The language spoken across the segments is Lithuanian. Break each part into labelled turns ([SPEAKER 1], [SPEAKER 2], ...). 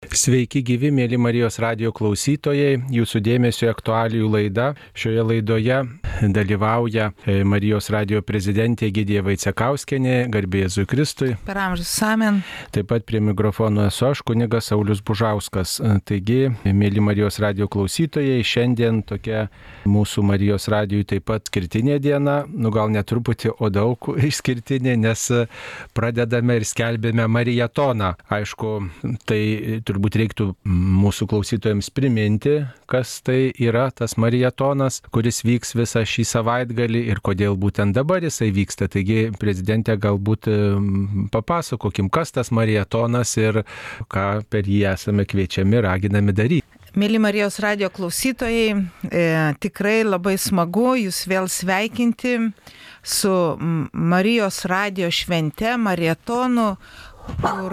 [SPEAKER 1] Sveiki gyvi, mėly Marijos radijo klausytojai, jūsų dėmesio aktualijų laida. Šioje laidoje dalyvauja Marijos radijo prezidentė Egidija Vaicekauskienė, garbė Jėzui Kristui.
[SPEAKER 2] Per amžius amen.
[SPEAKER 1] Taip pat prie mikrofono esu aš, kunigas Saulius Bužauskas. Taigi, mėly Marijos radijo klausytojai, šiandien tokia mūsų Marijos radijui taip pat skirtinė diena, gal ne truputį, o daug išskirtinė, nes pradedame ir skelbėme marietoną. Aišku, tai turbūt reiktų mūsų klausytojams priminti, kas tai yra tas marietonas, kuris vyks visą šį savaitgalį ir kodėl būtent dabar jisai vyksta. Taigi, prezidentė, galbūt papasakokim, kas tas marietonas ir ką per jį esame kviečiami, raginami daryti.
[SPEAKER 2] Mėly Marijos radijo klausytojai, tikrai labai smagu jūs vėl sveikinti su Marijos radijo švente, marietonu, kur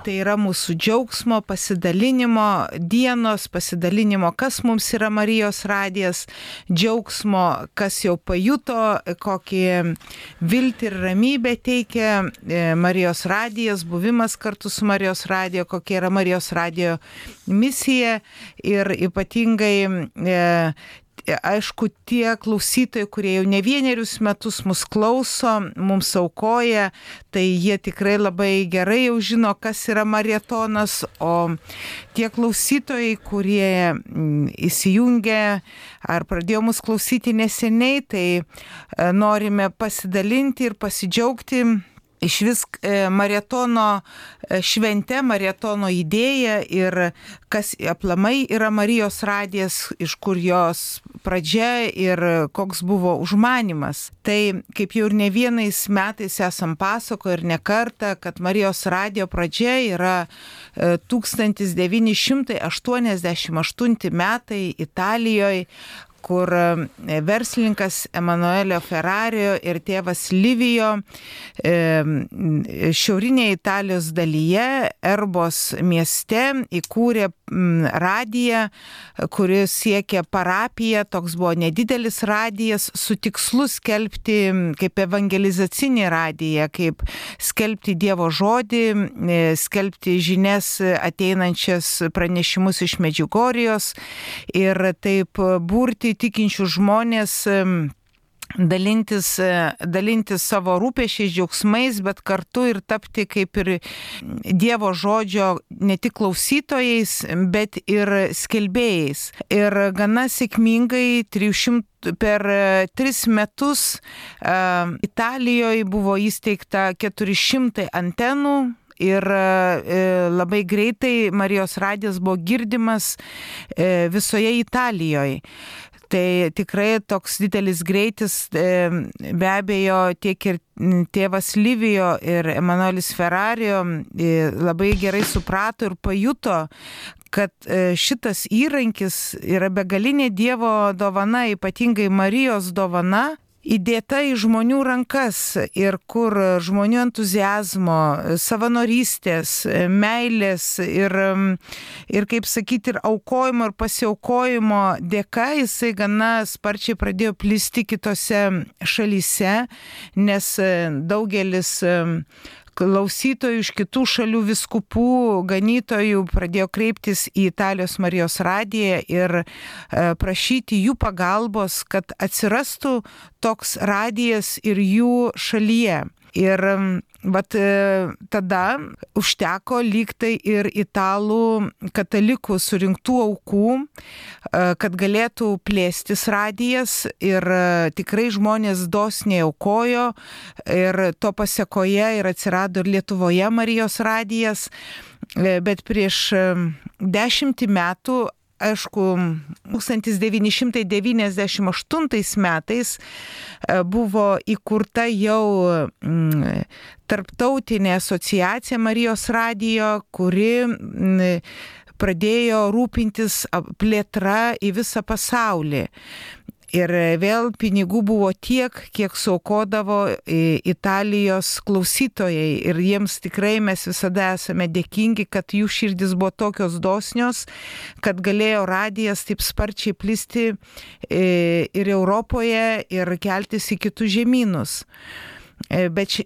[SPEAKER 2] tai yra mūsų džiaugsmo, pasidalinimo dienos, pasidalinimo, kas mums yra Marijos radijas, džiaugsmo, kas jau pajuto, kokį viltį ir ramybę teikia Marijos radijas, buvimas kartu su Marijos radijo, kokia yra Marijos radijo misija ir ypatingai aišku, tie klausytojai, kurie jau ne vienerius metus mus klauso, mums aukoja, tai jie tikrai labai gerai jau žino, kas yra marietonas, o tie klausytojai, kurie įsijungė ar pradėjo mus klausyti neseniai, tai norime pasidalinti ir pasidžiaugti iš vis marietono švente, marietono idėja ir kas aplamai yra Marijos radijas, iš kur jos pradžia ir koks buvo užmanymas. Tai kaip jau ir ne vienais metais esam pasakoję ir ne kartą, kad Marijos radijo pradžia yra 1988 metai Italijoje, kur verslininkas Emanuelio Ferrario ir tėvas Livijo šiaurinėje Italijos dalyje, Erbos mieste, įkūrė radiją, kuris siekė parapiją, toks buvo nedidelis radijas, su tikslu skelbti kaip evangelizacinį radiją, kaip skelbti Dievo žodį, skelbti žinias ateinančias pranešimus iš Medžiugorijos ir taip burti tikinčių žmonės dalintis savo rūpesčiais, džiaugsmais, bet kartu ir tapti kaip ir Dievo žodžio ne tik klausytojais, bet ir skelbėjais. Ir gana sėkmingai per 3 metus Italijoje buvo įsteigta 400 antenų. Ir labai greitai Marijos radijas buvo girdimas visoje Italijoje. Tai tikrai toks didelis greitis, be abejo, tiek ir tėvas Livijo ir Emanuelis Ferrario labai gerai suprato ir pajuto, kad šitas įrankis yra begalinė Dievo dovana, ypatingai Marijos dovana, įdėta į žmonių rankas ir kur žmonių entuziazmo, savanorystės, meilės ir kaip sakyti, ir aukojimo ir pasiaukojimo dėka jisai gana sparčiai pradėjo plisti kitose šalyse, nes daugelis klausytojų iš kitų šalių vyskupų, ganytojų pradėjo kreiptis į Italijos Marijos radiją ir prašyti jų pagalbos, kad atsirastų toks radijas ir jų šalyje. Ir tada užteko lygtai ir italų katalikų surinktų aukų, kad galėtų plėstis radijas ir tikrai žmonės dosniai aukojo ir to pasekoje ir atsirado ir Lietuvoje Marijos radijas, bet prieš 10 metų, aišku, 1998 metais buvo įkurta jau tarptautinė asociacija Marijos radijo, kuri pradėjo rūpintis plėtra į visą pasaulį. Ir vėl pinigų buvo tiek, kiek suaukodavo Italijos klausytojai. Ir jiems tikrai mes visada esame dėkingi, kad jų širdis buvo tokios dosnios, kad galėjo radijas taip sparčiai plisti ir Europoje ir keltis į kitus žemynus. Bet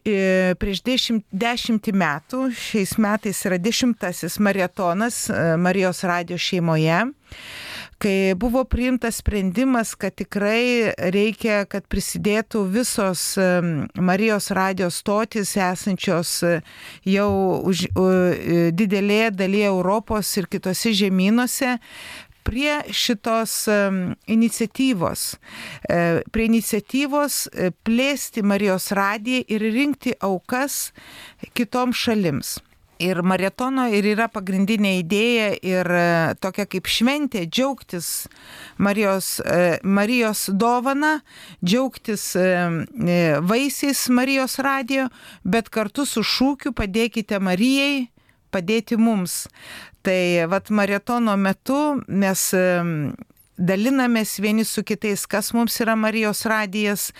[SPEAKER 2] prieš 10 metų, šiais metais yra 10. maratonas Marijos radijo šeimoje, kai buvo priimtas sprendimas, kad tikrai reikia, kad prisidėtų visos Marijos radijo stotys esančios jau didelėje dalyje Europos ir kitose žemynuose, prie šitos iniciatyvos. Prie iniciatyvos plėsti Marijos radiją ir rinkti aukas kitoms šalims. Ir maratono ir yra pagrindinė idėja ir tokia kaip šventė, džiaugtis Marijos dovana, džiaugtis vaisiais Marijos radijo, bet kartu su šūkiu padėkite Marijai, padėti mums. Tai maratono metu mes dalinamės vieni su kitais, kas mums yra Marijos radijas,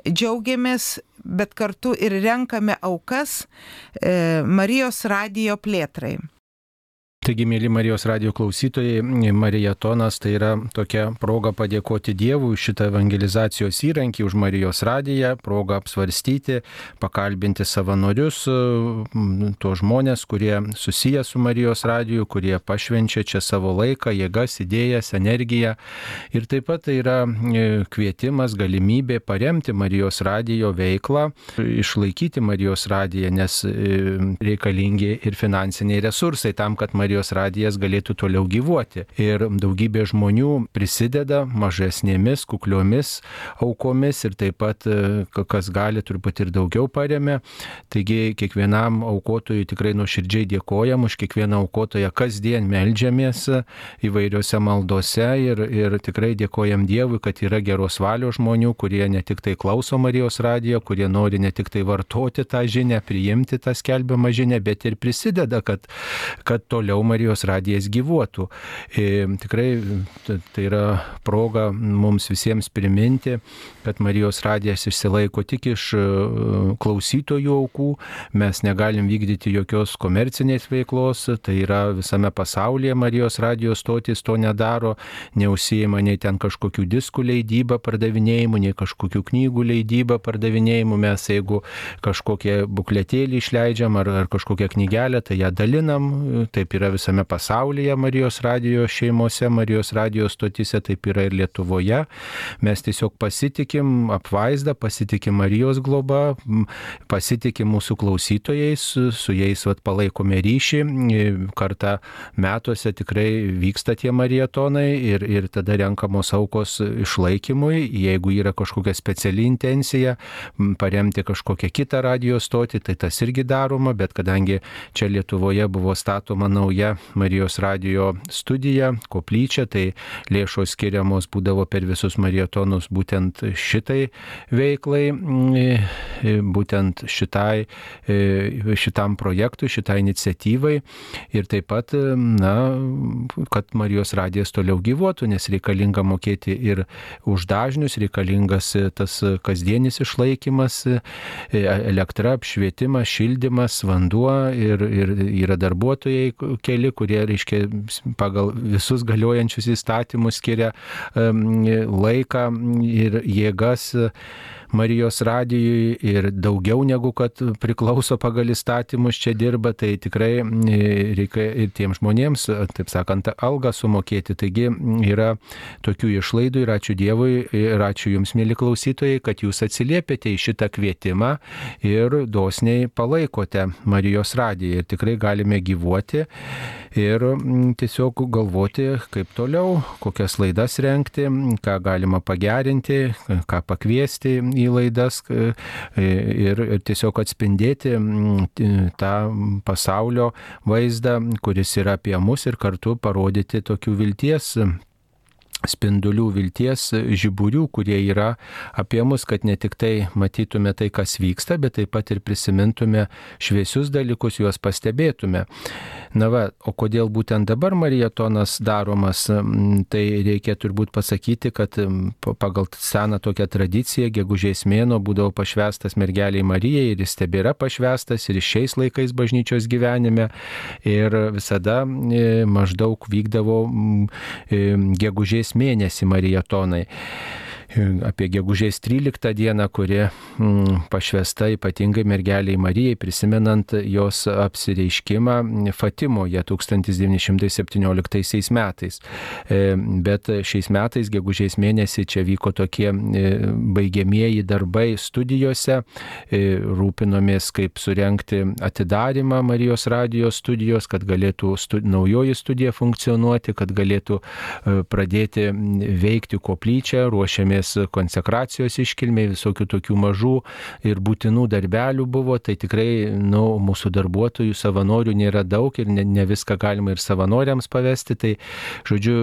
[SPEAKER 2] džiaugiamės, bet kartu ir renkame aukas Marijos radijo plėtrai.
[SPEAKER 1] Taigi, mėly Marijos radijo klausytojai, maratonas tai yra tokia proga padėkoti Dievui už šitą evangelizacijos įrankį, už Marijos radiją, proga apsvarstyti, pakalbinti savanorius, tuos žmonės, kurie susiję su Marijos radiju, kurie pašvenčia čia savo laiką, jėgas, idėjas, energiją. Ir taip pat tai yra kvietimas, galimybė paremti Marijos radijo veiklą, išlaikyti Marijos radiją, nes reikalingi ir finansiniai resursai tam, kad Marijos radijas galėtų toliau gyvuoti. Ir daugybė žmonių prisideda mažesnėmis, kukliomis aukomis ir taip pat, kas gali, turbūt ir daugiau paremia. Taigi kiekvienam aukotojui tikrai nuoširdžiai dėkojam, už kiekvieną aukotoją kasdien meldžiamės įvairiose maldose ir tikrai dėkojam Dievui, kad yra geros valios žmonių, kurie ne tik tai klauso Marijos radijo, kurie nori ne tik tai vartoti tą žinią, priimti tą skelbiamą žinią, bet ir prisideda, kad toliau Marijos radijas gyvuotų. Tikrai tai yra proga mums visiems priminti, kad Marijos radijas išsilaiko tik iš klausytojų aukų. Mes negalim vykdyti jokios komercinės veiklos, tai yra visame pasaulyje Marijos radijos stotys to nedaro, neužsijima nei ten kažkokių diskų leidybą pardavinėjimų, nei kažkokių knygų leidybą pardavinėjimų. Mes jeigu kažkokie bukletėlį išleidžiam ar kažkokią knygelę, tai ją dalinam, taip yra visame pasaulyje Marijos radijo šeimose, Marijos radijo stotyse, taip yra ir Lietuvoje. Mes tiesiog pasitikim apvaizdą, pasitikim Marijos globa, pasitikim mūsų klausytojais, su jais palaikome ryšį. Kartą metuose tikrai vyksta tie maratonai ir tada renkamos aukos išlaikymui. Jeigu yra kažkokia speciali intencija paremti kažkokią kitą radijo stotį, tai tas irgi daroma, bet kadangi čia Lietuvoje buvo statoma nauja Marijos radijo studija, koplyčia, tai lėšos skiriamos būdavo per visus maratonus būtent šitai veiklai, būtent šitam projektui, šitai iniciatyvai ir taip pat, kad Marijos radijas toliau gyvuotų, nes reikalinga mokėti ir už dažnius, reikalingas tas kasdienis išlaikymas, elektra, apšvietimas, šildymas, vanduo ir yra darbuotojai keli, kurie, reiškia, pagal visus galiojančius įstatymus skiria laiką ir jėgas Marijos radijui ir daugiau negu kad priklauso pagal įstatymus čia dirba, tai tikrai reikia ir tiems žmonėms, taip sakant, algą sumokėti. Taigi yra tokių išlaidų ir ačiū Dievui ir ačiū Jums, mėly klausytojai, kad Jūs atsiliepėte į šitą kvietimą ir dosniai palaikote Marijos radiją. Ir tikrai galime gyvuoti ir tiesiog galvoti, kaip toliau, kokias laidas rengti, ką galima pagerinti, ką pakviesti į laidas ir tiesiog atspindėti tą pasaulio vaizdą, kuris yra apie mus ir kartu parodyti tokių vilties spindulių, vilties žiburių, kurie yra apie mus, kad ne tik tai matytume tai, kas vyksta, bet taip pat ir prisimintume šviesius dalykus, juos pastebėtume. O kodėl būtent dabar maratonas daromas, tai reikia turbūt pasakyti, kad pagal seną tokią tradiciją gegužės mėnuo būdavo pašvęstas mergeliai Marijai ir jis tebėra pašvęstas ir šiais laikais bažnyčios gyvenime ir visada maždaug vykdavo gegužės mėnesį maratonai. apie gegužės 13 dieną, kuri pašvęsta ypatingai mergeliai Marijai, prisimenant jos apsireiškimą Fatimoje 1917 metais. Bet šiais metais, gegužės mėnesį, čia vyko tokie baigiamieji darbai studijose, rūpinomės, kaip surengti atidarymą Marijos radijo studijos, kad galėtų naujoji studija funkcionuoti, kad galėtų pradėti veikti koplyčią, ruošiamės konsekracijos iškilmei, visokių tokių mažų ir būtinų darbelių buvo, tai tikrai mūsų darbuotojų, savanorių nėra daug ir ne viską galima ir savanoriams pavesti, tai žodžiu,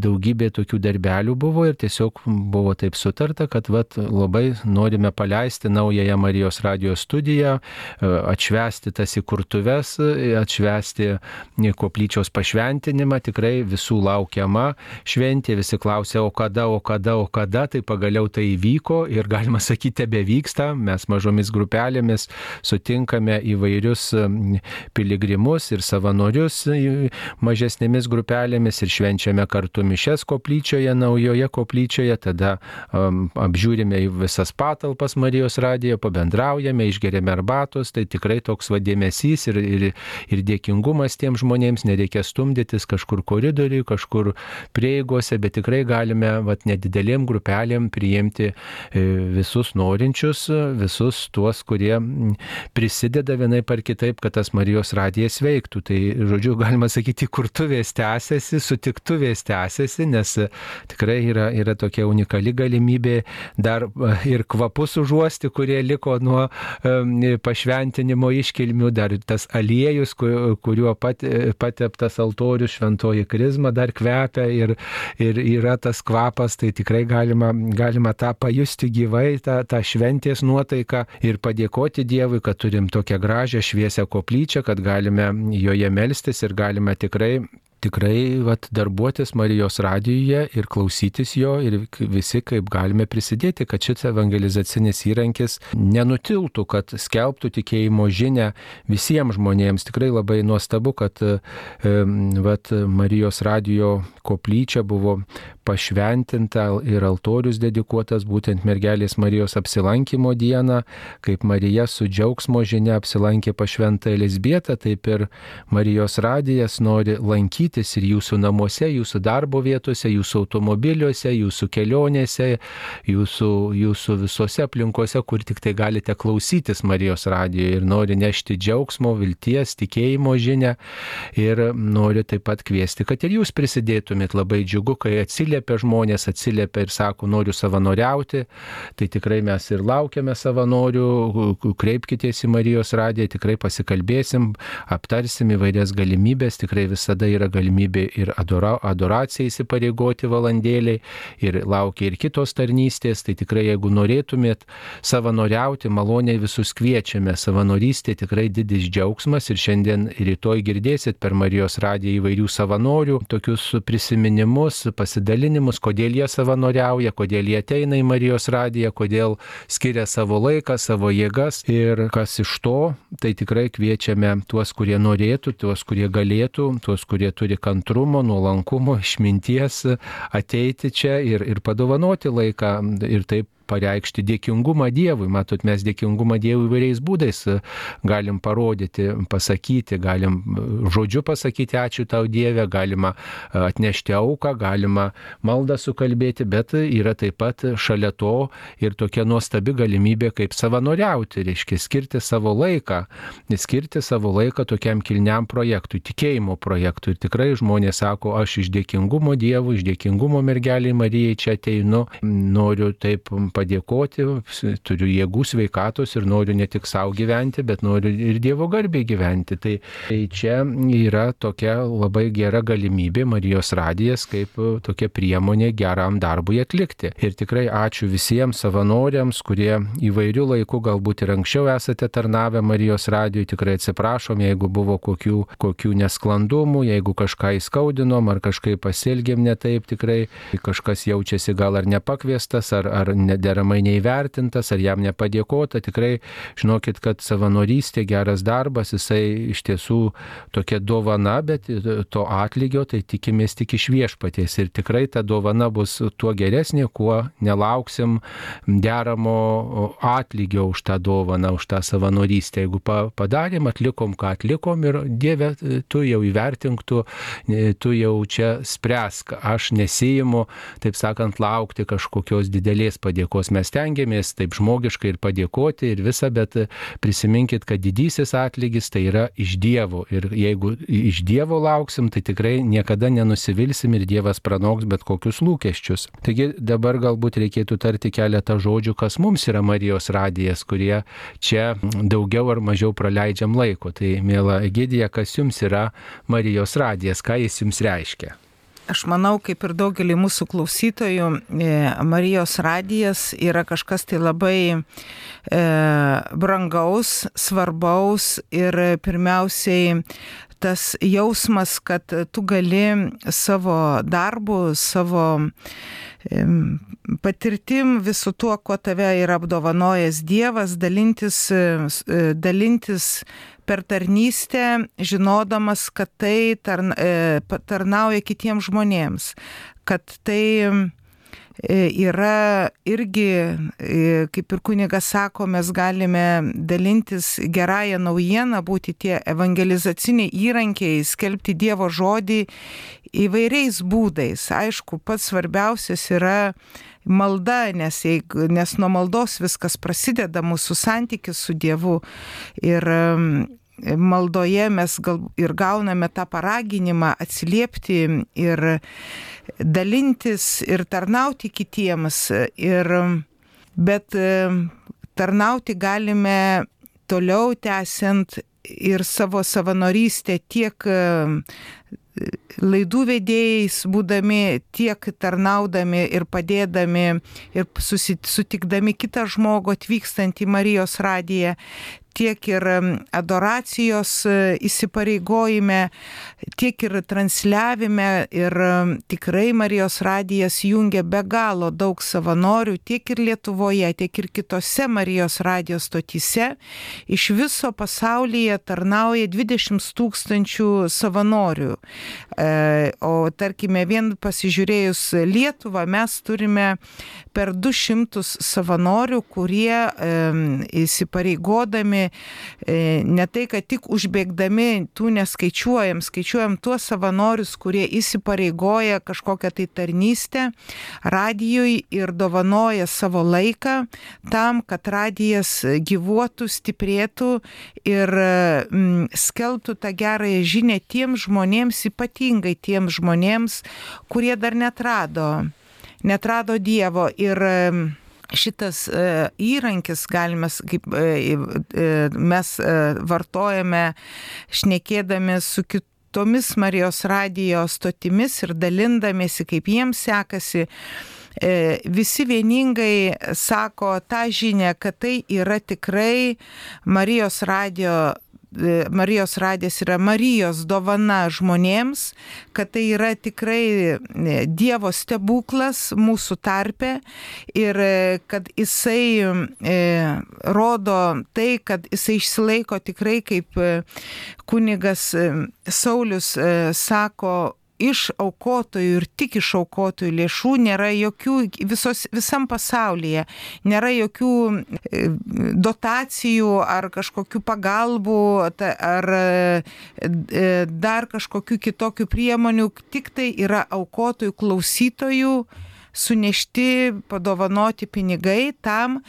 [SPEAKER 1] daugybė tokių darbelių buvo ir tiesiog buvo taip sutarta, kad labai norime paleisti naująją Marijos radijo studiją, atšvęsti tas įkurtuves, atšvęsti koplyčios pašventinimą, tikrai visų laukiama šventė, visi klausė, o kada, tai pagaliau tai įvyko ir galima sakyti, tebevyksta, mes mažomis grupelėmis sutinkame įvairius piligrimus ir savanorius mažesnėmis grupelėmis ir švenčiame kartu mišes koplyčioje, naujoje koplyčioje, tada apžiūrime visas patalpas Marijos radijo, pabendraujame, išgeriame arbatos, tai tikrai toks dėmesys ir dėkingumas tiem žmonėms, nereikia stumdytis kažkur koridoriui, kažkur prieigose, bet tikrai galime nedidelėm grupelėm priimti visus norinčius, visus tuos, kurie prisideda vienaip ar kitaip, kad tas Marijos radijas veiktų. Tai, žodžiu, galima sakyti, kurtuvės tęsiasi, sutiktuvės tęsiasi, nes tikrai yra tokia unikali galimybė dar ir kvapus užuosti, kurie liko nuo pašventinimo iškilmių, dar tas aliejus, kuriuo pateptas altorius, šventoji krizma dar kvepia ir yra tas kvapas, tai tikrai galima tą pajusti gyvai, tą šventės nuotaiką ir padėkoti Dievui, kad turim tokią gražią šviesią koplyčią, kad galime joje melstis ir galime tikrai darbuotis Marijos radijuje ir klausytis jo ir visi kaip galime prisidėti, kad šis evangelizacinis įrankis nenutiltų, kad skelbtų tikėjimo žinią visiems žmonėms. Tikrai labai nuostabu, kad Marijos radijo koplyčia buvo pašventinta ir altorius dedikuotas būtent mergelės Marijos apsilankymo dieną, kaip Marija su džiaugsmo žinia apsilankė pas šventąją Elizbietą, taip ir Marijos radijas nori lankytis ir jūsų namuose, jūsų darbo vietose, jūsų automobiliuose, jūsų kelionėse, jūsų visose aplinkose, kur tik tai galite klausytis Marijos radijo ir nori nešti džiaugsmo, vilties, tikėjimo žinią ir nori taip pat kviesti, kad ir jūs prisidėtumėt. Labai džiugu, kai atsiliepia žmonės, atsiliepia ir sako, noriu savanoriauti, tai tikrai mes ir laukiame savanorių, kreipkitės į Marijos radiją, tikrai pasikalbėsim, aptarsim įvairias galimybės, tikrai visada yra galimybė ir adoracijai įsipareigoti valandėliai ir laukia ir kitos tarnystės, tai tikrai jeigu norėtumėt savanoriauti, maloniai visus kviečiame, savanorystė tikrai didis džiaugsmas ir šiandien rytoj girdėsit per Marijos radiją įvairių savanorių, tokius prisiminimus, pasidalinimus, kodėl jie savanoriauja, kodėl jie ateina į Marijos radiją, kodėl skiria savo laiką, savo jėgas ir kas iš to, tai tikrai kviečiame tuos, kurie norėtų, tuos, kurie galėtų, tuos, kurie turi kantrumo, nuolankumo, išminties ateiti čia ir padovanoti laiką ir taip pareikšti dėkingumą Dievui. Matot, mes dėkingumą Dievui įvairiais būdais galim parodyti, pasakyti, galim žodžiu pasakyti ačiū tau Dieve, galima atnešti auką, galima maldą sukalbėti, bet yra taip pat šalia to ir tokia nuostabi galimybė kaip savanoriauti, reiškia skirti savo laiką tokiam kilniam projektui, tikėjimo projektui. Ir tikrai žmonės sako, aš iš dėkingumo Dievui, iš dėkingumo mergeliai Marijai čia ateinu, noriu taip padėkoti, turiu jėgų, sveikatos ir noriu ne tik savo gyventi, bet noriu ir Dievo garbei gyventi. Tai čia yra tokia labai gera galimybė Marijos radijas kaip tokia priemonė geram darbui atlikti. Ir tikrai ačiū visiems savanoriams, kurie įvairių laikų galbūt ir anksčiau esate tarnavę Marijos radijui. Tikrai atsiprašom, jeigu buvo kokių nesklandumų, jeigu kažką įskaudinom ar kažkaip pasielgėm ne taip, tikrai kažkas jaučiasi gal ar nepakviestas, ar deramai neįvertintas, ar jam nepadėkota. Tikrai žinokit, kad savanorystė, geras darbas, jisai iš tiesų tokia dovana, bet to atlygio tai tikimės tik iš Viešpaties. Ir tikrai ta dovana bus tuo geresnė, kuo nelauksim deramo atlygio už tą dovaną, už tą savanorystę. Jeigu padarėm, atlikom, ką atlikom ir Dieve, tu jau įvertink, tu jau čia spręsk. Aš nesiimu, taip sakant, laukti kažkokios didelės padėkos. Mes tengiamės taip žmogiškai ir padėkoti ir visą, bet prisiminkit, kad didysis atlygis tai yra iš Dievo. Ir jeigu iš Dievo lauksim, tai tikrai niekada nenusivilsim ir Dievas pranoks bet kokius lūkesčius. Taigi dabar galbūt reikėtų tarti keletą žodžių, kas mums yra Marijos radijas, kurie čia daugiau ar mažiau praleidžiam laiko. Tai, miela Egidija, kas jums yra Marijos radijas, ką jis jums reiškia?
[SPEAKER 2] Aš manau, kaip ir daugelį mūsų klausytojų, Marijos radijas yra kažkas tai labai brangaus, svarbaus ir pirmiausiai tas jausmas, kad tu gali savo darbu, savo patirtim, visu tuo, kuo tave yra apdovanojęs Dievas, dalintis per tarnystę, žinodamas, kad tai tarnauja kitiems žmonėms, kad tai yra irgi, kaip ir kunigas sako, mes galime dalintis gerąją naujieną, būti tie evangelizaciniai įrankiai, skelbti Dievo žodį įvairiais būdais. Aišku, pats svarbiausias yra malda, nes nuo maldos viskas prasideda, mūsų santykis su Dievu. Ir maldoje mes ir gauname tą paraginimą atsiliepti ir dalintis ir tarnauti kitiems. Bet tarnauti galime toliau tęsiant ir savo savanorystę tiek laidų vedėjais būdami, tiek tarnaudami ir padėdami ir sutikdami kitą žmogų atvykstant į Marijos radiją, tiek ir adoracijos įsipareigojime, tiek ir transliavime. Ir tikrai Marijos radijas jungia be galo daug savanorių, tiek ir Lietuvoje, tiek ir kitose Marijos radijos stotyse. Iš viso pasaulyje tarnauja 20 000 savanorių. O tarkime, vien pasižiūrėjus Lietuvą, mes turime per 200 savanorių, kurie įsipareigodami, ne tai, kad tik užbėgdami, tų skaičiuojam tuos savanorius, kurie įsipareigoja kažkokią tai tarnystę radijui ir dovanoja savo laiką tam, kad radijas gyvuotų, stiprėtų ir skelbtų tą gerąją žinią tiems žmonėms, ypatingai tiems žmonėms, kurie dar netrado Dievo. Ir šitas įrankis, galime, kaip mes vartojame šnekėdami su kitomis Marijos radijo stotimis ir dalindamėsi, kaip jiems sekasi, visi vieningai sako tą žinią, kad tai yra tikrai Marijos radijas yra Marijos dovana žmonėms, kad tai yra tikrai Dievo stebuklas mūsų tarpe ir kad jisai rodo tai, kad jisai išsilaiko tikrai, kaip kunigas Saulius sako, iš aukotojų ir tik iš aukotojų lėšų nėra jokių, visam pasaulyje nėra jokių dotacijų ar kažkokių pagalbų ar dar kažkokių kitokių priemonių, tik tai yra aukotojų, klausytojų sunešti, padovanoti pinigai tam,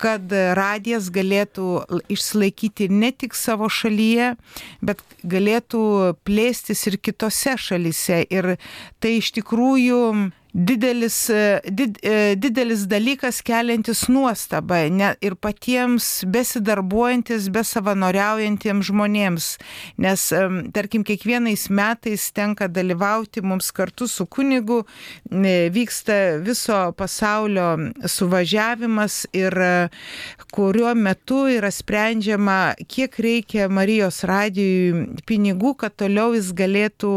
[SPEAKER 2] kad radijas galėtų išsilaikyti ne tik savo šalyje, bet galėtų plėstis ir kitose šalyse. Ir tai iš tikrųjų didelis dalykas, keliantis nuostabą ir patiems besidarbuojantis, besavanoriaujantiems žmonėms. Nes, tarkim, kiekvienais metais tenka dalyvauti mums kartu su kunigu, vyksta viso pasaulio suvažiavimas ir kuriuo metu yra sprendžiama, kiek reikia Marijos radijui pinigų, kad toliau jis galėtų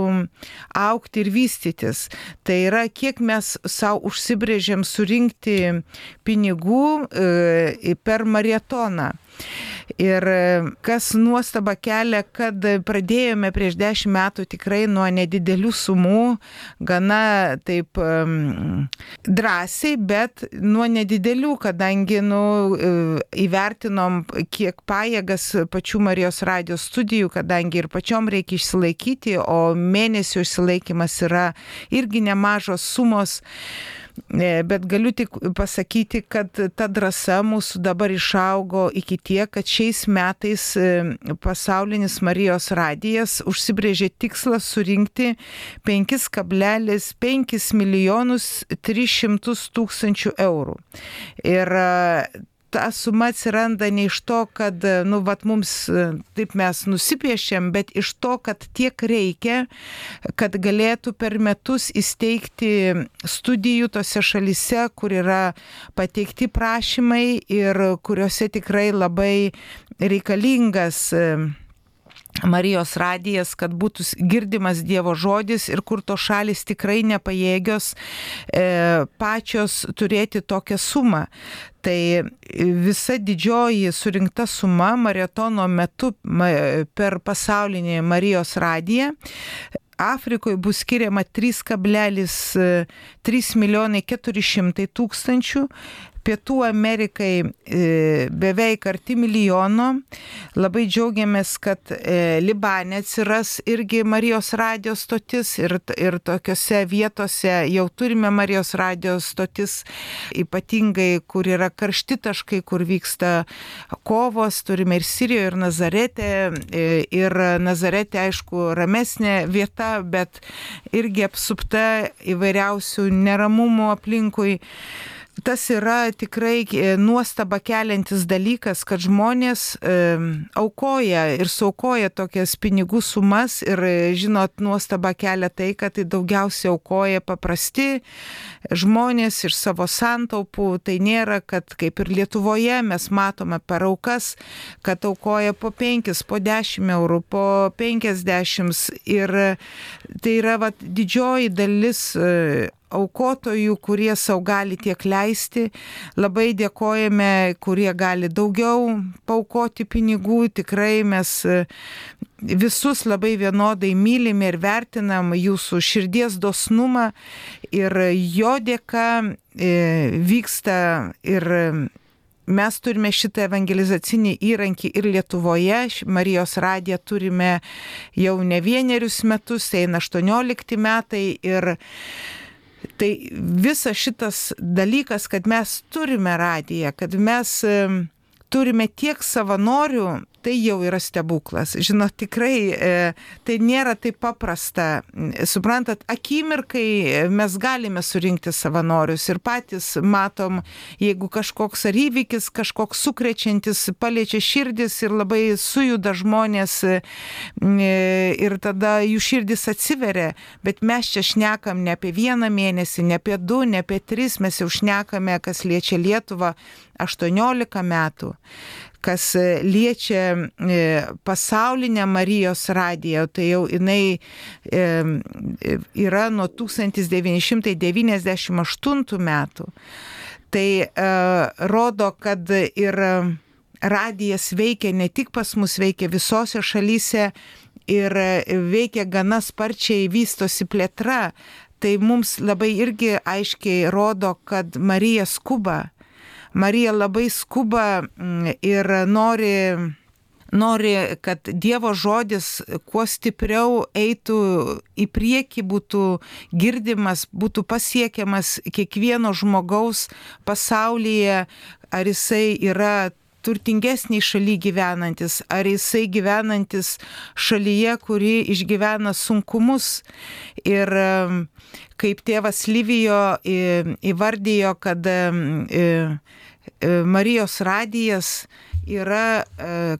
[SPEAKER 2] augti ir vystytis. Tai yra, kiek mes savo užsibrėžėm surinkti pinigų per marietoną. Ir kas nuostaba kelia, kad pradėjome prieš 10 metų tikrai nuo nedidelių sumų, gana taip drąsiai, bet nuo nedidelių, kadangi įvertinom, kiek pajėgas pačių Marijos radijos studijų, kadangi ir pačiom reikia išsilaikyti, o mėnesio išsilaikymas yra irgi nemažos sumos. Bet galiu tik pasakyti, kad ta drąsa mūsų dabar išaugo iki tiek, kad šiais metais pasaulinis Marijos radijas užsibrėžė tikslą surinkti 5,5 milijonus 300 tūkstančių eurų. Ir ta suma atsiranda ne iš to, kad mums taip mes nusipiešėm, bet iš to, kad tiek reikia, kad galėtų per metus įsteigti studijų tose šalyse, kur yra pateikti prašymai ir kuriuose tikrai labai reikalingas Marijos radijas, kad būtų girdimas Dievo žodis ir kur to šalis tikrai nepajėgios pačios turėti tokią sumą. Tai visa didžioji surinkta suma marietono metu per pasaulinį Marijos radiją Afrikoje bus skiriama 3,3 milijonai 400 tūkstančių, Pietų Amerikai beveik arti milijono. Labai džiaugiamės, kad Libane atsiras irgi Marijos radijos stotis ir tokiose vietose jau turime Marijos radijos stotis, ypatingai kur yra karšti taškai, kur vyksta kovos, turime ir Sirijoje, ir Nazarete. Ir Nazarete, aišku, ramesnė vieta, bet irgi apsupta įvairiausių neramumų aplinkui. Tas yra tikrai nuostaba keliantis dalykas, kad žmonės aukoja ir suaukoja tokias pinigų sumas ir, žinot, nuostaba kelia tai, kad tai daugiausiai aukoja paprasti žmonės iš savo santaupų. Tai nėra, kad kaip ir Lietuvoje mes matome per aukas, kad aukoja po 5, po 10 eurų, po 50 ir tai yra didžioji dalis aukotojų, kurie savo gali tiek leisti. Labai dėkojame, kurie gali daugiau paaukoti pinigų. Tikrai mes visus labai vienodai mylime ir vertinam jūsų širdies dosnumą ir jo dėka vyksta ir mes turime šitą evangelizacinį įrankį ir Lietuvoje. Marijos radiją turime jau ne 1 metus, eina 18 metai ir tai visas šitas dalykas, kad mes turime radiją, kad mes turime tiek savanorių, tai jau yra stebuklas. Žinot, tikrai tai nėra taip paprasta. Suprantat, akimirkai mes galime surinkti savanorius ir patys matom, jeigu kažkoks ar įvykis, kažkoks sukrečiantis paliečia širdis ir labai sujuda žmonės ir tada jų širdis atsiveria. Bet mes čia šnekam ne apie 1 mėnesį, ne apie 2, ne apie 3, mes jau šnekame, kas liečia Lietuvą 18 metų. Kas liečia pasaulinę Marijos radiją, tai jau jinai yra nuo 1998 metų. Tai rodo, kad ir radijas veikia ne tik pas mus, veikia visose šalyse ir veikia gana sparčiai, vystosi plėtra. Tai mums labai irgi aiškiai rodo, kad Marija skuba. Marija labai skuba ir nori, kad Dievo žodis kuo stipriau eitų į priekį, būtų girdimas, būtų pasiekiamas kiekvieno žmogaus pasaulyje, ar jisai yra turtingesniai šaly gyvenantis, ar jisai gyvenantis šalyje, kuri išgyvena sunkumus. Ir kaip tėvas Livijo įvardijo, kad Marijos radijas yra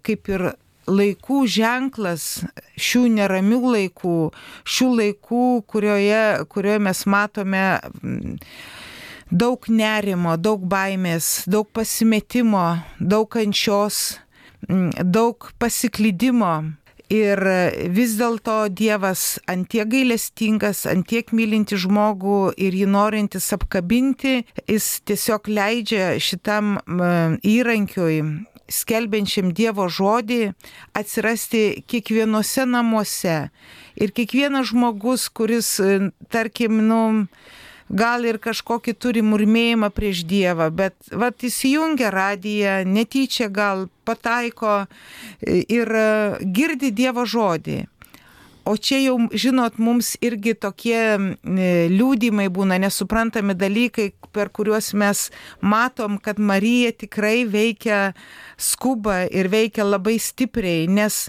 [SPEAKER 2] kaip ir laikų ženklas šių neramių laikų, šių laikų, kurioje mes matome daug nerimo, daug baimės, daug pasimetimo, daug kančios, daug pasiklydimo. Ir vis dėlto Dievas antiek gailestingas, antiek mylinti žmogų ir jį norintis apkabinti, jis tiesiog leidžia šitam įrankiui, skelbiančiam Dievo žodį, atsirasti kiekvienose namuose. Ir kiekvienas žmogus, kuris, tarkim, gal ir kažkokį turi murmėjimą prieš Dievą, bet įsijungia radiją, netyčia gal pataiko ir girdi Dievo žodį. O čia jau, žinot, mums irgi tokie liūdimai būna, nesuprantami dalykai, per kuriuos mes matom, kad Marija tikrai veikia, skuba ir veikia labai stipriai, nes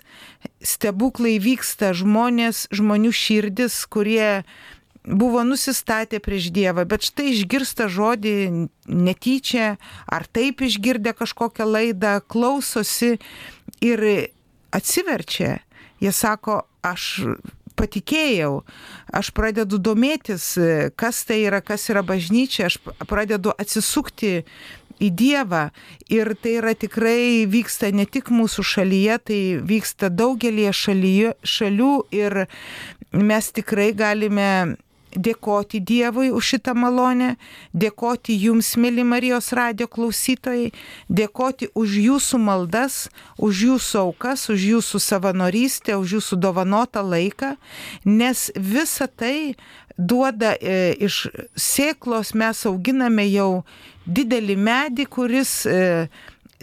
[SPEAKER 2] stebuklai vyksta, žmonių širdis, kurie buvo nusistatę prieš Dievą, bet štai išgirsta žodį netyčia, ar taip išgirdę kažkokią laidą, klausosi ir atsiverčia. Jie sako, aš patikėjau, aš pradedu domėtis, kas tai yra, kas yra bažnyčia, aš pradedu atsisukti į Dievą ir tai yra tikrai vyksta ne tik mūsų šalyje, tai vyksta daugelie šalių ir mes tikrai galime dėkoti Dievui už šitą malonę, dėkoti jums, mėly Marijos radijo klausytojai, dėkoti už jūsų maldas, už jūsų aukas, už jūsų savanorystę, už jūsų dovanotą laiką, nes visa tai duoda iš sėklos, mes auginame jau didelį medį, kuris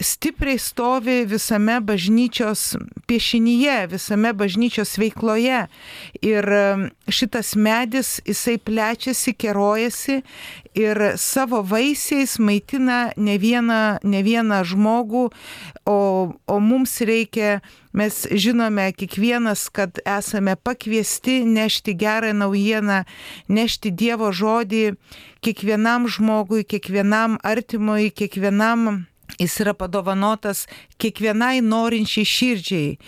[SPEAKER 2] stipriai stovi visame bažnyčios piešinyje, visame bažnyčios veikloje. Ir šitas medis, jisai plečiasi, kerojasi ir savo vaisiais maitina ne vieną žmogų, o mums reikia, mes žinome kiekvienas, kad esame pakviesti nešti gerą naujieną, nešti Dievo žodį kiekvienam žmogui, kiekvienam artimui, kiekvienam. Jis yra padovanotas kiekvienai norinčiai širdžiai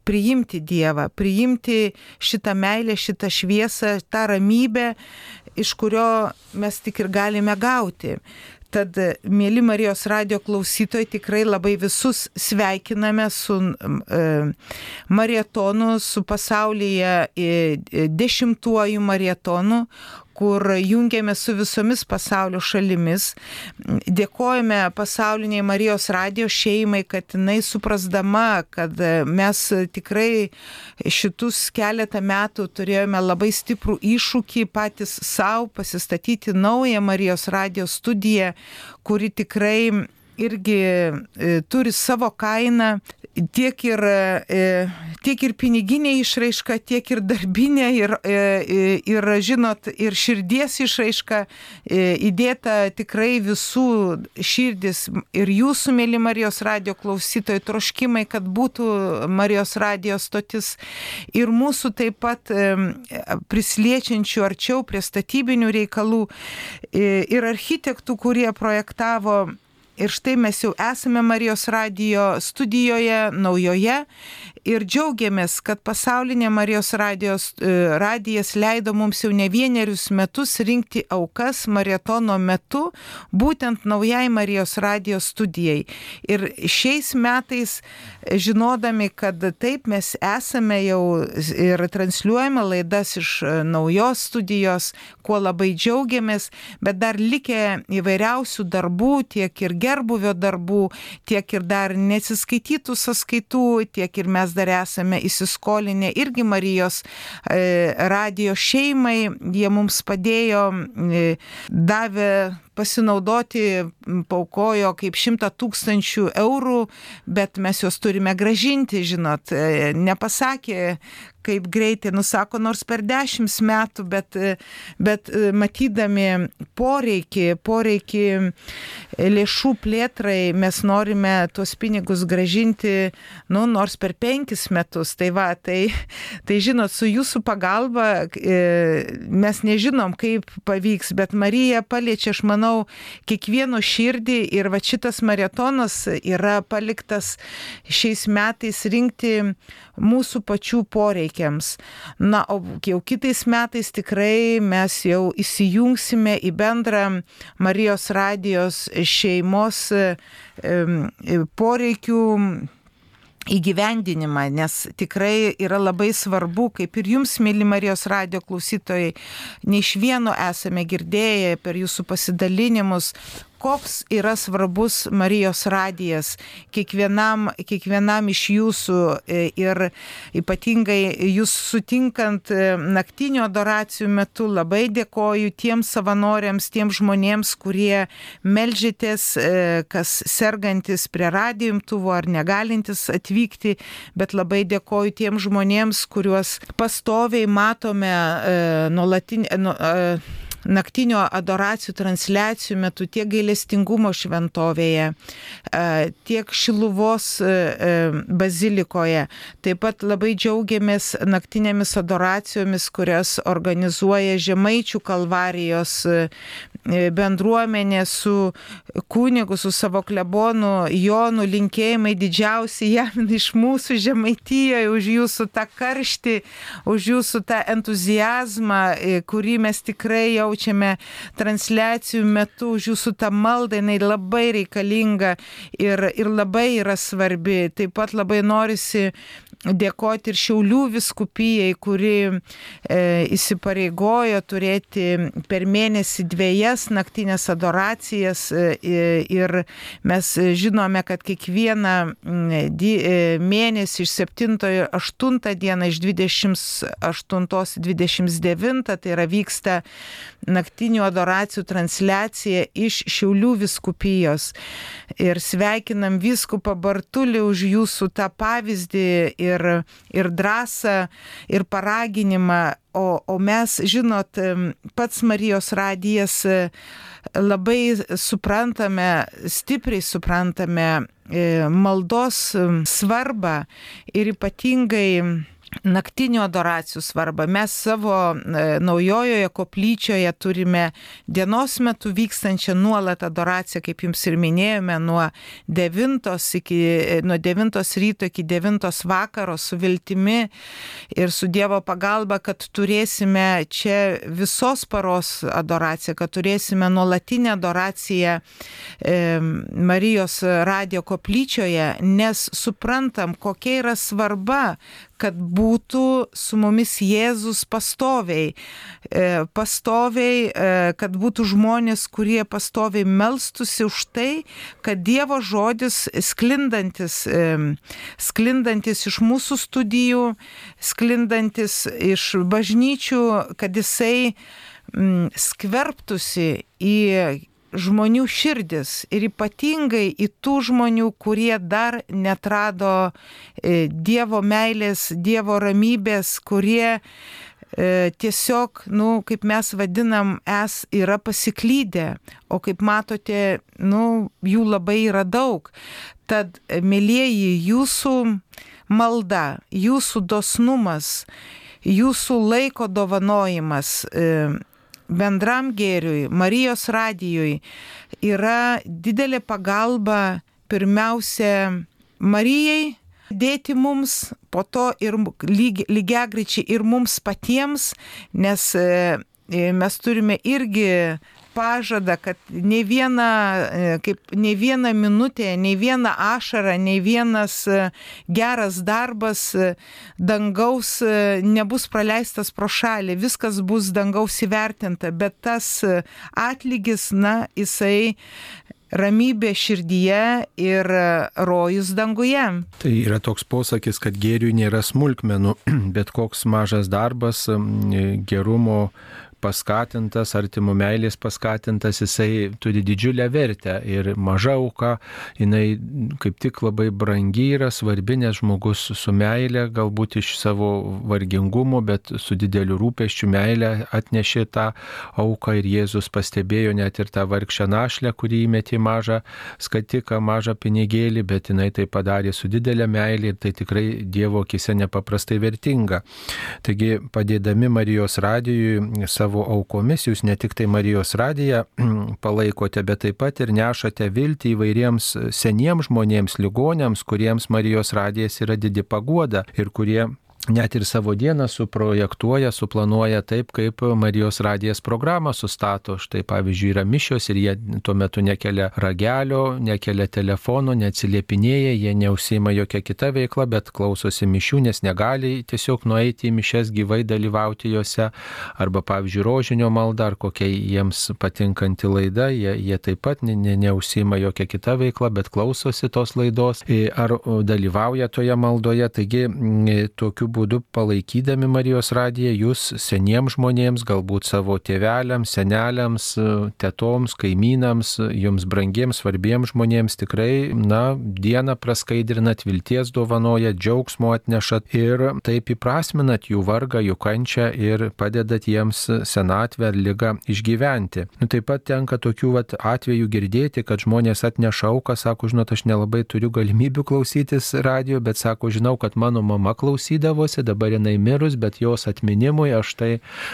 [SPEAKER 2] priimti Dievą, priimti šitą meilę, šitą šviesą, tą ramybę, iš kurio mes tik ir galime gauti. Tad, mėly Marijos radijo klausytojai, tikrai labai visus sveikiname su marietonu, su pasaulyje 10-uoju marietonu, kur jungiame su visomis pasaulio šalimis. Dėkojame pasauliniai Marijos radijo šeimai, kad jinai suprasdama, kad mes tikrai šitus keletą metų turėjome labai stiprų iššūkį patys savo pasistatyti naują Marijos radijo studiją, kuri tikrai irgi turi savo kainą, tiek ir piniginė išraiška, tiek ir darbinė, ir žinot, ir širdies išraiška įdėta tikrai visų širdis ir jūsų, mėly Marijos radijo klausytojai, troškimai, kad būtų Marijos radijo stotis ir mūsų taip pat prisliečiančių arčiau prie statybinių reikalų ir architektų, kurie projektavo. Ir štai mes jau esame Marijos radijo studijoje naujoje ir džiaugiamės, kad pasaulinė Marijos radijas leido mums jau ne vienerius metus rinkti aukas marietono metu, būtent naujai Marijos radijo studijai. Ir šiais metais, žinodami, kad taip mes esame jau ir transliuojame laidas iš naujos studijos, kuo labai džiaugiamės, bet dar likę įvairiausių darbų, tiek ir gerbuvio darbų, tiek ir dar neatsiskaitytų sąskaitų, tiek ir mes dar esame įsiskolinę irgi Marijos radijo šeimai, jie mums padėjo, davė pasinaudoti, paukojo kaip 100 000 eurų, bet mes juos turime grąžinti, žinot, nepasakė, kaip greitai, nusako, nors per 10 metų, bet matydami poreikį lėšų plėtrai, mes norime tuos pinigus grąžinti, nors per 5 metus. Tai žinot, su jūsų pagalba mes nežinom, kaip pavyks, bet Marija paliečia, aš manau, kiekvieno širdį ir va šitas marietonas yra paliktas šiais metais rinkti mūsų pačių poreikiams. Na, o jau kitais metais tikrai mes jau įsijungsime į bendrą Marijos radijos šeimos poreikių įgyvendinimą, nes tikrai yra labai svarbu, kaip ir jums, mėly Marijos radijo klausytojai, ne iš vieno esame girdėję per jūsų pasidalinimus, koks yra svarbus Marijos radijas kiekvienam iš jūsų ir ypatingai jūs sutinkant naktinių adoracijų metu. Labai dėkoju tiems savanoriams, tiems žmonėms, kurie meldžiatės, kas sergantis prie radijo imtuvo ar negalintis atvykti, bet labai dėkoju tiems žmonėms, kuriuos pastoviai matome naktinio adoracijų transliacijų metu tiek gailestingumo šventovėje, tiek Šiluvos bazilikoje. Taip pat labai džiaugiamės naktinėmis adoracijomis, kurias organizuoja Žemaičių Kalvarijos bendruomenė su kunigu, su savo klebonu Jonu. Linkėjimai didžiausi jam iš mūsų Žemaitijoje, už jūsų tą karštį, už jūsų tą entuziazmą, kurį mes tikrai jaučiame transliacijų metu, už jūsų tą maldą, jinai labai reikalinga ir labai yra svarbi. Taip pat labai norisi dėkoti ir Šiaulių vyskupijai, kuri įsipareigojo turėti per mėnesį 2 naktinės adoracijas ir mes žinome, kad kiekvieną mėnesį iš 7-8 dieną, iš 28-29, tai yra vyksta naktinių adoracijų transliacija iš Šiaulių vyskupijos. Ir sveikinam vyskupą Bartulį už jūsų tą pavyzdį ir drąsą, ir paraginimą. O mes, žinot, pats Marijos radijas labai suprantame, stipriai suprantame maldos svarbą ir ypatingai naktinių adoracijų svarbą. Mes savo naujojoje koplyčioje turime dienos metu vykstančią nuolat adoraciją, kaip jums ir minėjome, nuo 9 ryto iki 9 vakaro su viltimi ir su Dievo pagalba, kad turėsime čia visos paros adoraciją, kad turėsime nuolatinę adoraciją Marijos radijo koplyčioje, nes suprantam, kokia yra svarba, kad būtų su mumis Jėzus pastoviai, kad būtų žmonės, kurie pastoviai melstųsi už tai, kad Dievo žodis sklindantis iš mūsų studijų, sklindantis iš bažnyčių, kad jisai skverbtųsi į žmonių širdis ir ypatingai į tų žmonių, kurie dar netrado Dievo meilės, Dievo ramybės, kurie tiesiog, kaip mes vadinam, yra pasiklydę, o kaip matote, jų labai yra daug. Tad, mielieji, jūsų malda, jūsų dosnumas, jūsų laiko dovanojimas bendram gėriui, Marijos radijui yra didelė pagalba pirmiausia Marijai dėti mums, po to ir lygiagrečiai ir mums patiems, nes mes turime irgi pažadą, kad nei viena minutė, nei viena ašara, nei vienas geras darbas dangaus nebus praleistas pro šalį, viskas bus dangaus įvertinta, bet tas atlygis, jisai ramybė širdyje ir rojus danguje.
[SPEAKER 1] Tai yra toks posakis, kad gėriui nėra smulkmenų, bet koks mažas darbas, gerumo paskatintas, artimo meilės paskatintas, jisai turi didžiulę vertę ir maža auka, jinai kaip tik labai brangi yra, svarbi, nes žmogus su meilė, galbūt iš savo vargingumo, bet su dideliu rūpesčiu meilė atnešė tą auką ir Jėzus pastebėjo net ir tą vargšę našlę, kurį įmetė mažą skatiką, mažą pinigėlį, bet jinai tai padarė su didelė meilė ir tai tikrai Dievo akise nepaprastai vertinga. Taigi, padėdami Marijos radijui savo aukomis, jūs ne tik tai Marijos radiją palaikote, bet taip pat ir nešate viltį įvairiems seniems žmonėms, ligoniams, kuriems Marijos radijas yra didi paguoda ir kurie net ir savo dieną suprojektuoja, suplanuoja taip, kaip Marijos radijas programą sustato. Štai pavyzdžiui yra mišios ir jie tuo metu nekelia ragelio, nekelia telefono, neatsiliepinėja, jie neužsiima jokia kita veikla, bet klausosi mišių, nes negali tiesiog nueiti į mišias gyvai dalyvauti juose. Arba pavyzdžiui rožinio malda ar kokia jiems patinkanti laida, jie taip pat neužsiima jokia kita veikla, bet klausosi tos laidos ar dalyvauja toje maldoje. Taigi tokiu būdu palaikydami Marijos radiją, jūs seniems žmonėms, galbūt savo tėveliams, seneliams, tetoms, kaimynams, jums brangiems, svarbiems žmonėms tikrai, dieną praskaidrinat, vilties dovanojat, džiaugsmo atnešat ir taip įprasminat jų vargą, jų kančią ir padedat jiems senatvę ar ligą išgyventi. Taip pat tenka tokių atvejų girdėti, kad žmonės atneša auką, sako, žinot, aš nelabai turiu galimybių klausytis radijo, bet sako, žinau, kad mano mama klausydavo, dabar jinai mirus, bet jos atminimui aš tai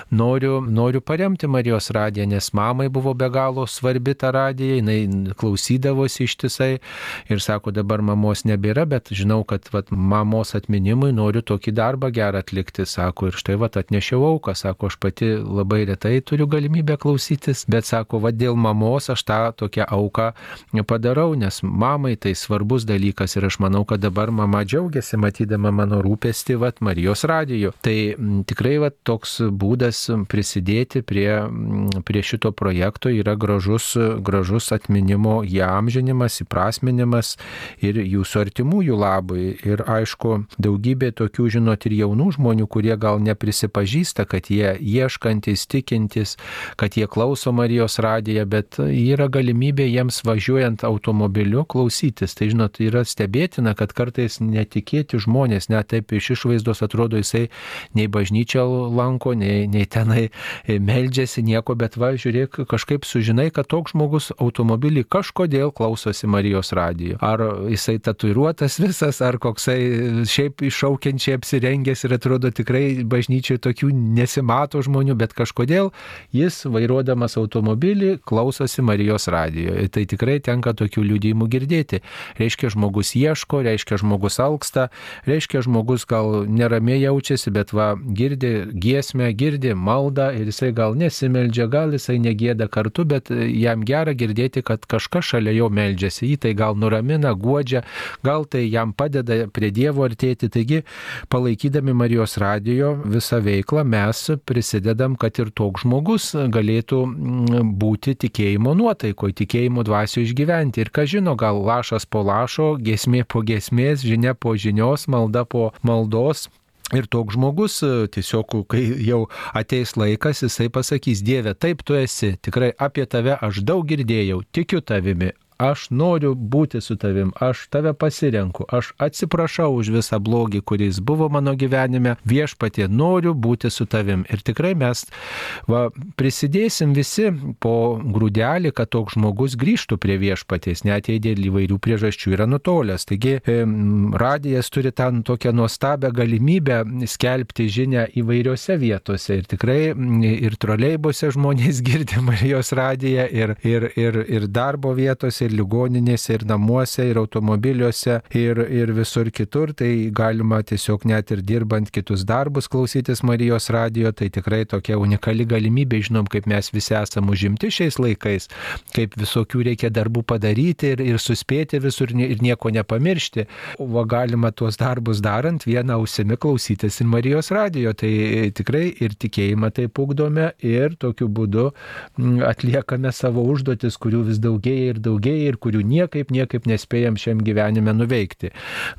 [SPEAKER 1] noriu paremti Marijos radiją, nes mamai buvo be galo svarbi ta radija, jinai klausydavosi ištisai ir sako, dabar mamos nebėra, bet žinau, kad mamos atminimui noriu tokį darbą gerą atlikti, sako, ir štai atnešiau auką, sako, aš pati labai retai turiu galimybę klausytis, bet sako, dėl mamos aš tą tokią auką padarau, nes mamai tai svarbus dalykas ir aš manau, kad dabar mama džiaugiasi matydama mano rūpestį Marijos radiju. Tai tikrai toks būdas prisidėti prie šito projekto yra gražus atminimo įamžinimas, įprasminimas ir jūsų artimųjų labui. Ir aišku, daugybė tokių, žinot, ir jaunų žmonių, kurie gal neprisipažįsta, kad jie ieškantis, tikintis, kad jie klauso Marijos radiją, bet yra galimybė jiems važiuojant automobiliu klausytis. Tai, žinot, yra stebėtina, kad kartais netikėti žmonės, net taip iš išvaizdos atrodo, jisai nei bažnyčią lanko, nei tenai meldžiasi nieko, bet žiūrėk, kažkaip sužinai, kad toks žmogus automobilį kažkodėl klausosi Marijos radijo. Ar jisai tatuiruotas visas, ar koksai šiaip iššaukiančiai apsirengęs ir atrodo tikrai bažnyčiai tokių nesimato žmonių, bet kažkodėl jis vairuodamas automobilį klausosi Marijos radijo. Tai tikrai tenka tokių liudijimų girdėti. Reiškia, žmogus ieško, reiškia, žmogus alksta, reiškia, žmogus gal neramiai jaučiasi, bet girdi giesmę, girdi maldą ir jisai gal nesimeldžia, gal jisai negėda kartu, bet jam gera girdėti, kad kažkas šalia jo meldžiasi, jį tai gal nuramina, guodžia, gal tai jam padeda prie Dievo artėti. Taigi, palaikydami Marijos radijo visą veiklą, mes prisidedam, kad ir toks žmogus galėtų būti tikėjimo nuotaikoje, tikėjimo dvasioje išgyventi. Ir ką žino, gal lašas po lašo, giesmė po giesmės, žinia po žinios, malda po maldos. Ir toks žmogus tiesiog, kai jau ateis laikas, jisai pasakys, Dieve, taip tu esi, tikrai apie tave aš daug girdėjau, tikiu tavimi. Aš noriu būti su tavim, aš tave pasirenku, aš atsiprašau už visą blogį, kuris buvo mano gyvenime, viešpatie, noriu būti su tavim. Ir tikrai mes prisidėsim visi po grūdelį, kad toks žmogus grįžtų prie viešpaties, net jei dėl įvairių priežasčių yra nutolęs. Taigi radijas turi ten tokią nuostabią galimybę skelbti žinią įvairiose vietose. Ir tikrai ir troleibose žmonės girdi Marijos radiją, ir darbo vietose, ir ligoninėse, ir namuose, ir automobiliuose, ir visur kitur. Tai galima tiesiog net ir dirbant kitus darbus klausytis Marijos radijo. Tai tikrai tokia unikali galimybė. Žinom, kaip mes visi esame užimti šiais laikais, kaip visokių reikia darbų padaryti ir suspėti visur ir nieko nepamiršti. Galima tuos darbus darant vieną ausimi klausytis ir Marijos radijo. Tai tikrai ir tikėjimą taip ugdome ir tokiu būdu atliekame savo užduotis, kurių vis daugėja ir daugėja ir kurių niekaip nespėjam šiam gyvenime nuveikti.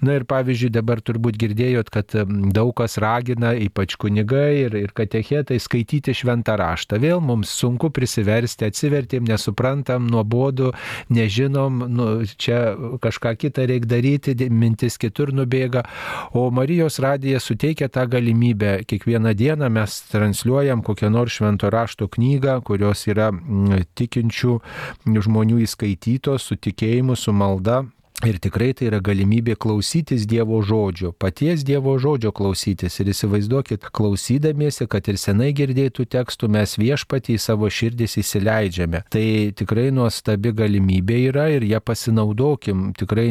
[SPEAKER 1] Ir pavyzdžiui, dabar turbūt girdėjot, kad daug kas ragina, ypač kunigai ir katechetai, skaityti šventą raštą. Vėl mums sunku prisiversti, atsivertėm, nesuprantam, nuobodu, nežinom, čia kažką kitą reikia daryti, mintis kitur nubėga. O Marijos radija suteikia tą galimybę. Kiekvieną dieną mes transliuojam kokią nors švento rašto knygą, kurios yra tikinčių žmonių įskaitytos, su tikėjimu, su malda. Ir tikrai tai yra galimybė klausytis Dievo žodžio, paties Dievo žodžio klausytis. Ir įsivaizduokit, klausydamiesi, kad ir senai girdėtų tekstų, mes Viešpatį į savo širdis įsileidžiame. Tai tikrai nuostabi galimybė yra ir ją pasinaudokim. Tikrai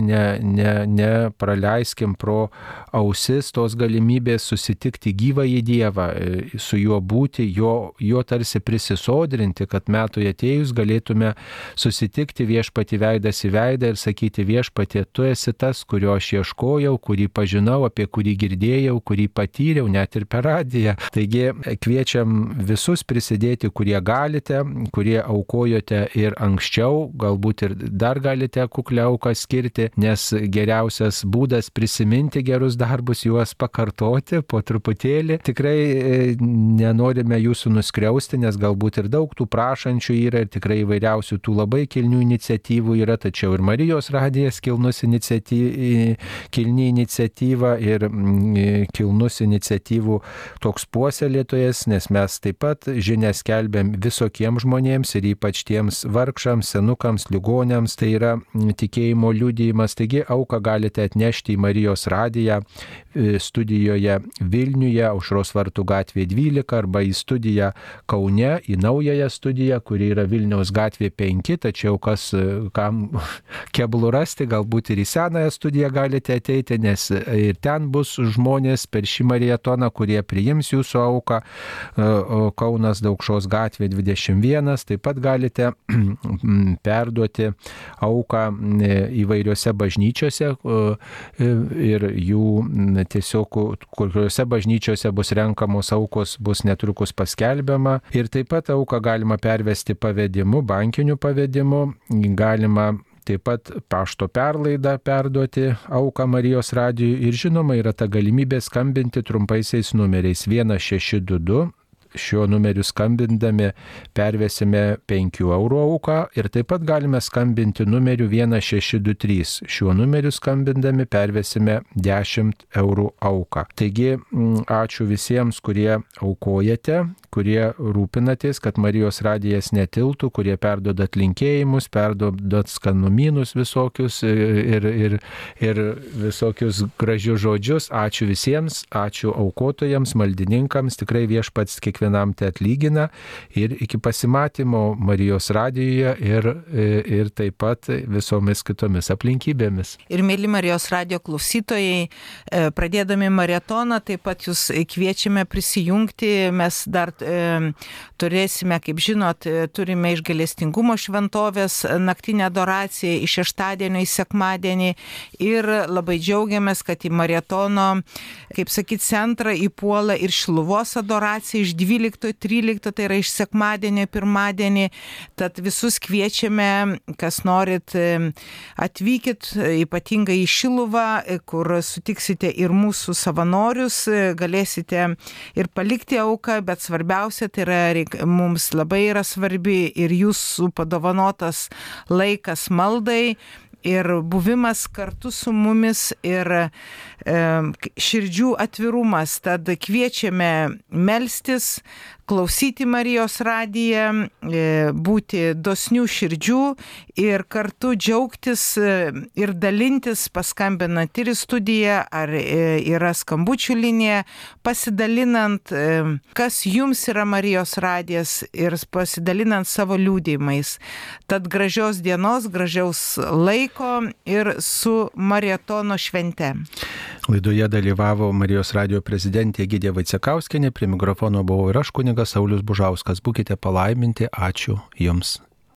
[SPEAKER 1] nepraleiskim pro ausis tos galimybės susitikti gyvąjį Dievą, su juo būti, jo tarsi prisisodrinti, kad metui atėjus galėtume susitikti Viešpatį veidas į veidą ir sakyti: Viešpatie, tu esi tas, kurio aš ieškojau, kurį pažinau, apie kurį girdėjau, kurį patyriau net ir per radiją. Taigi kviečiam visus prisidėti, kurie galite, kurie aukojote ir anksčiau, galbūt ir dar galite kuklią auką skirti, nes geriausias būdas prisiminti gerus darbus, juos pakartoti po truputėlį. Tikrai nenorime jūsų nuskriausti, nes galbūt ir daug tų prašančių yra ir tikrai įvairiausių tų labai kilnių iniciatyvų yra, tačiau ir Marijos radijas kilni iniciatyva ir kilnus iniciatyvų toks puoselėtojas, nes mes taip pat žinią skelbiam visokiems žmonėms ir ypač tiems vargšams, senukams, ligoniams, tai yra tikėjimo liudijimas. Taigi auką galite atnešti į Marijos radiją studijoje Vilniuje, Aušros vartų gatvė 12, arba į studiją Kaune, į naująją studiją, kuri yra Vilniaus gatvė 5, tačiau kam keblu rasti, galbūt ir į senąją studiją galite ateiti, nes ir ten bus žmonės per šį marietoną, kurie priims jūsų auką. Kaunas Daukšos gatvė 21, taip pat galite perduoti auką įvairiose bažnyčiose ir jų tiesiog, kuriuose bažnyčiose bus renkamos aukos, bus netrukus paskelbiama. Ir taip pat auką galima pervesti pavedimu, bankiniu pavedimu, galima taip pat pašto perlaidą perduoti auką Marijos radijui ir žinoma yra ta galimybė skambinti trumpaisiais numeriais 1622. Šiuo numeriu skambindami pervesime 5 eurų auką ir taip pat galime skambinti numeriu 1623. Šiuo numeriu skambindami pervesime 10 eurų auką. Taigi ačiū visiems, kurie aukojate, kurie rūpinatės, kad Marijos radijas netiltų, kurie perdodat linkėjimus, perdodat skanumynus visokius ir visokius gražius žodžius. Ačiū visiems, ačiū aukotojams, maldininkams, tikrai Viešpats kiekvienam te atlygina ir iki pasimatymo Marijos radijoje ir taip pat visomis kitomis aplinkybėmis.
[SPEAKER 2] Ir mėly Marijos radijo klausytojai, pradėdami maratoną, taip pat jūs kviečiame prisijungti. Mes dar turėsime, kaip žinot, turime iš gailestingumo šventovės naktinę adoraciją iš šeštadienio į sekmadienį ir labai džiaugiamės, kad į maratono, kaip sakyt, centrą įpuola ir Šiluvos adoracija iš 12-13, tai yra iš sekmadienio į pirmadienį. Tad visus kviečiame, kas norit, atvykit ypatingai į Šiluvą, kur sutiksite ir mūsų savanorius, galėsite ir palikti auką, bet svarbiausia, tai yra mums labai yra svarbi ir jūsų padovanotas laikas maldai ir buvimas kartu su mumis ir širdžių atvirumas. Tad kviečiame melstis, klausyti Marijos radiją, būti dosnių širdžių ir kartu džiaugtis ir dalintis, paskambinant ir į studiją, ar yra skambučių linija, pasidalinant, kas jums yra Marijos radijas ir pasidalinant savo liudijimais. Tad gražios dienos, gražiaus laiko ir su maratono švente.
[SPEAKER 1] Laidoje dalyvavo Marijos radijo prezidentė Egidija Vaicekauskienė, prie mikrofono buvau ir aš, kunigas Saulius Bužauskas. Būkite palaiminti, ačiū Jums.